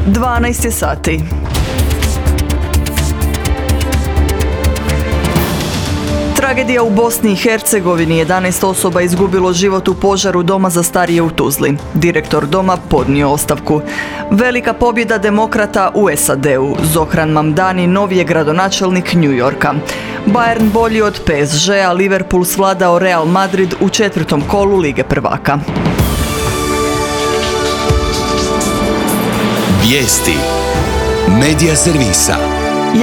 12 je sati. Tragedija u Bosni i Hercegovini. 11 osoba izgubilo život u požaru doma za starije u Tuzli. Direktor doma podnio ostavku. Velika pobjeda demokrata u SAD-u. Zohran Mamdani novi je gradonačelnik New Yorka. Bayern bolji od PSG-a, Liverpool svladao Real Madrid u 4. kolu Lige prvaka. Vijesti Medija servisa.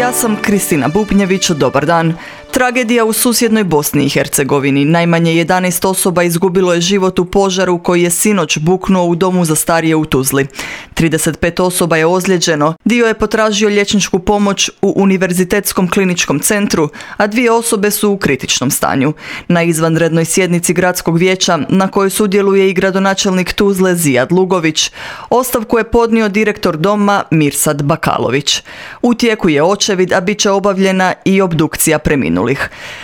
Ja sam Kristina Bubnjević, dobar dan. Tragedija u susjednoj Bosni i Hercegovini. Najmanje 11 osoba izgubilo je život u požaru koji je sinoć buknuo u domu za starije u Tuzli. 35 osoba je ozlijeđeno, dio je potražio liječničku pomoć u Univerzitetskom kliničkom centru, a 2 osobe su u kritičnom stanju. Na izvanrednoj sjednici gradskog vijeća, na kojoj sudjeluje i gradonačelnik Tuzle Zijad Lugović, ostavku je podnio direktor doma Mirsad Bakalović. U tijeku je očevid, a bit će obavljena i obdukcija preminulih.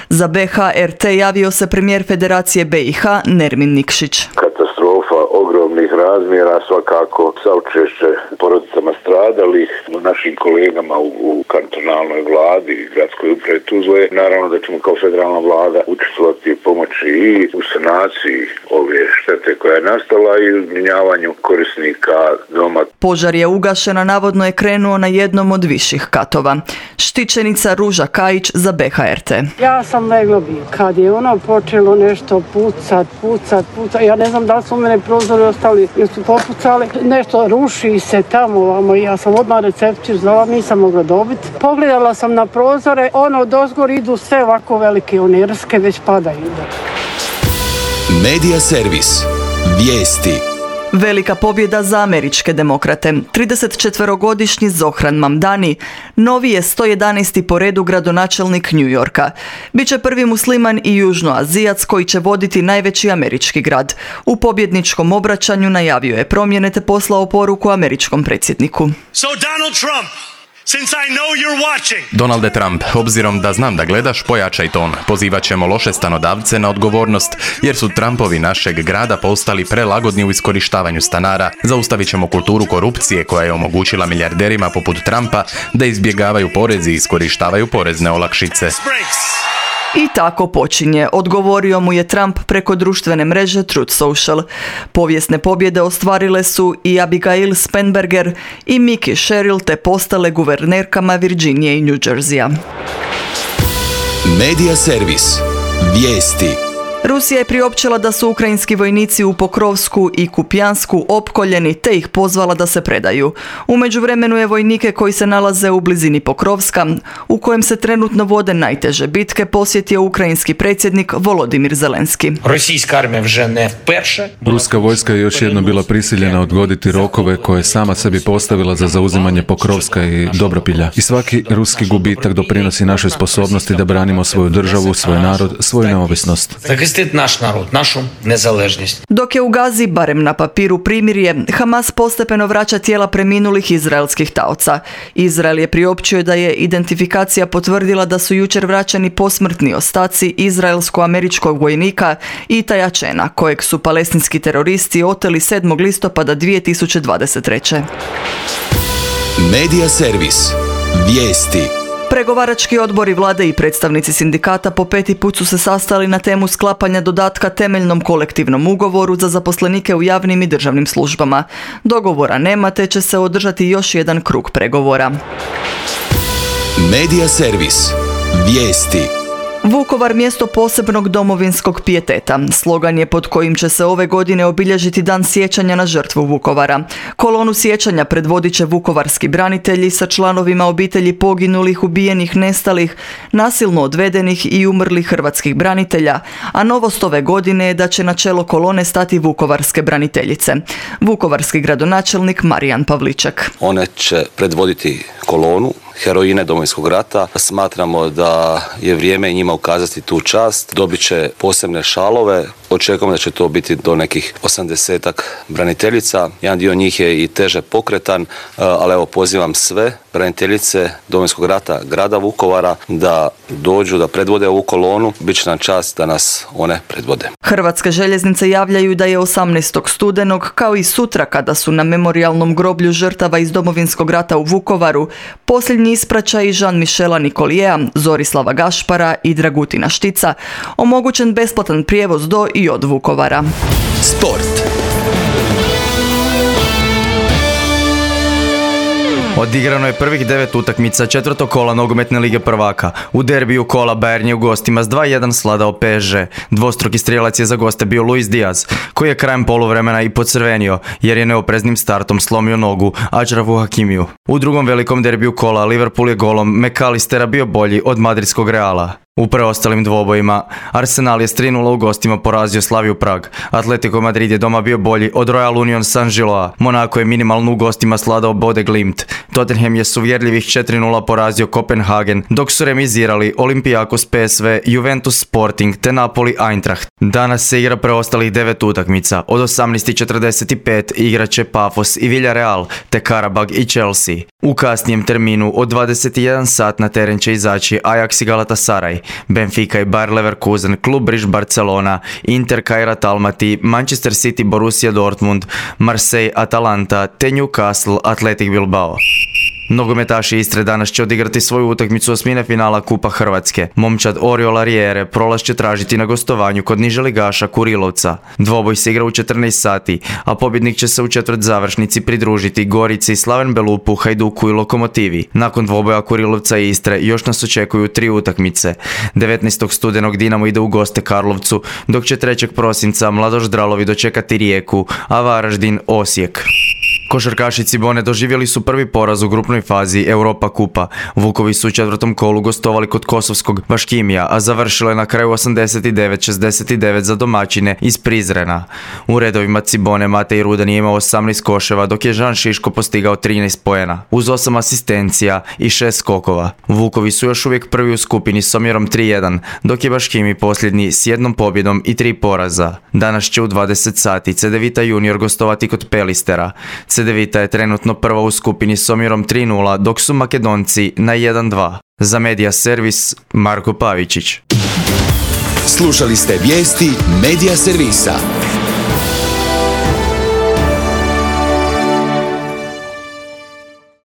Za BH-RT javio se premijer Federacije BiH Nermin Nikšić. Katastrofa ogromnih razmjera, svakako saučešće porodicama stradalih, našim kolegama u kantonalnoj vladi i gradskoj upravi Tuzle. Naravno da ćemo kao federalna vlada učestvovati u pomoći i u sanaciji ove štete koja je nastala i u zbrinjavanju korisnika doma. Požar je ugašen, a navodno je krenuo na jednom od viših katova. Štićenica Ruža Kajić za BH-RT. Ja sam legla bi. Kad je ono počelo nešto pucat, ja ne znam da li su mene prozori ostali jer su popucali. Nešto ruši se tamo ovamo i ja sam odmah recepciju zvala, nisam mogla dobiti. Pogledala sam na prozore, dozgor idu sve ovako velike, one rske već padaju. Medija servis. Vijesti. Velika pobjeda za američke demokrate. 34-godišnji Zohran Mamdani novi je 111. po redu gradonačelnik New Yorka. Biće prvi musliman i južnoazijac koji će voditi najveći američki grad. U pobjedničkom obraćanju najavio je promjene te poslao poruku američkom predsjedniku. So Donald Trump, since I know you're watching. Donalde Trump, obzirom da znam da gledaš, pojačaj ton. Pozivat ćemo loše stanodavce na odgovornost, jer su Trumpovi našeg grada postali prelagodni u iskorištavanju stanara. Zaustavit ćemo kulturu korupcije koja je omogućila milijarderima poput Trumpa da izbjegavaju porezi i iskorištavaju porezne olakšice. I tako počinje, odgovorio mu je Trump preko društvene mreže Truth Social. Povijesne pobjede ostvarile su i Abigail Spanberger i Mickey Sherrill te postale guvernerkama Virginije i New Jerseya. Medija servis. Vijesti. Rusija je priopćila da su ukrajinski vojnici u Pokrovsku i Kupjansku opkoljeni te ih pozvala da se predaju. U međuvremenu je vojnike koji se nalaze u blizini Pokrovska, u kojem se trenutno vode najteže bitke, posjetio ukrajinski predsjednik Volodimir Zelenski. Ruska vojska je još jednom bila prisiljena odgoditi rokove koje je sama sebi postavila za zauzimanje Pokrovska i Dobropilja. I svaki ruski gubitak doprinosi našoj sposobnosti da branimo svoju državu, svoj narod, svoju neovisnost. Naš narod, našu nezaležnost. Dok je u Gazi, barem na papiru, primirje, Hamas postepeno vraća tijela preminulih izraelskih taoca. Izrael je priopćio da je identifikacija potvrdila da su jučer vraćani posmrtni ostaci izraelsko-američkog vojnika Itaja Čena, kojeg su palestinski teroristi oteli 7. listopada 2023. Medija servis. Vijesti. Pregovarački odbori vlade i predstavnici sindikata po 5. put su se sastali na temu sklapanja dodatka temeljnom kolektivnom ugovoru za zaposlenike u javnim i državnim službama. Dogovora nema te će se održati još jedan krug pregovora. Medija servis. Vijesti. Vukovar mjesto posebnog domovinskog pijeteta. Slogan je pod kojim će se ove godine obilježiti Dan sjećanja na žrtvu Vukovara. Kolonu sjećanja predvodit će vukovarski branitelji sa članovima obitelji poginulih, ubijenih, nestalih, nasilno odvedenih i umrlih hrvatskih branitelja, a novost ove godine je da će na čelo kolone stati vukovarske braniteljice. Vukovarski gradonačelnik Marijan Pavliček. One će predvoditi kolonu heroine Domovinskog rata. Smatramo da je vrijeme njima ukazati tu čast. Dobit će posebne šalove Očekujemo da će to biti do nekih 80-ak braniteljica. Jedan dio njih je i teže pokretan, ali evo pozivam sve braniteljice Domovinskog rata grada Vukovara da dođu, da predvode ovu kolonu. Biće nam čast da nas one predvode. Hrvatske željeznice javljaju da je 18. studenog, kao i sutra kada su na memorijalnom groblju žrtava iz Domovinskog rata u Vukovaru, posljednji ispraćaji Jean-Michela Nicoliera, Zorislava Gašpara i Dragutina Štica, omogućen besplatan prijevoz do i od Vukovara. Sport. Odigrano je prvih 9 utakmica četvrtog kola nogometne lige prvaka. U derbiju kola Bayern je u gostima s 2:1 sladao PSG. Dvostruki strijelac je za goste bio Luis Diaz, koji je krajem poluvremena i pocrvenio, jer je neopreznim startom slomio nogu Acrafu Hakimiju. U drugom velikom derbiju kola Liverpool je golom McAllistera bio bolji od madridskog Reala. U preostalim dvobojima Arsenal je s 3:0 u gostima porazio Slaviju Prag. Atletico Madrid je doma bio bolji od Royal Union Saint-Gilloa. Monaco je minimalno u gostima sladao Bode Glimt. Tottenham je s uvjerljivih 4:0 porazio Kopenhagen, dok su remizirali Olympiakos PSV, Juventus Sporting te Napoli Eintracht. Danas se igra preostalih 9 utakmica. Od 18:45 igrat će Pafos i Villarreal, te Karabag i Chelsea. U kasnijem terminu od 21 sat na teren će izaći Ajax i Galatasaray, Benfica i Bayer Leverkusen, Klub Brugge Barcelona, Inter Kairat Almaty, Manchester City Borussia Dortmund, Marseille Atalanta te Newcastle Athletic Bilbao. Nogometaši Istre danas će odigrati svoju utakmicu osmine finala Kupa Hrvatske. Momčad Oriol Arijere prolaz će tražiti na gostovanju kod niželigaša Kurilovca. Dvoboj se igra u 14 sati, a pobjednik će se u četvrt završnici pridružiti Gorici, Slaven Belupu, Hajduku i Lokomotivi. Nakon dvoboja Kurilovca i Istre još nas očekuju 3 utakmice. 19. studenog Dinamo ide u goste Karlovcu, dok će 3. prosinca Mladoš Dralovi dočekati Rijeku, a Varaždin Osijek. Košarkaši Cibone doživjeli su prvi poraz u grupnoj fazi Europa Kupa. Vukovi su u četvrtom kolu gostovali kod kosovskog Baškimija, a završilo je na kraju 89-69 za domaćine iz Prizrena. U redovima Cibone Matej Rudan je imao 18 koševa, dok je Žan Šiško postigao 13 poena, uz 8 asistencija i 6 skokova. Vukovi su još uvijek prvi u skupini s omjerom 3:1, dok je Baškimi posljednji s 1 pobjedom i 3 poraza. Danas će u 20 sati Cedevita junior gostovati kod Pelistera. Cedevita je trenutno prva u skupini s omjerom 3:0, dok su Makedonci na 1:2. Za Medija Servis, Marko Pavičić. Slušali ste vijesti Medija Servisa.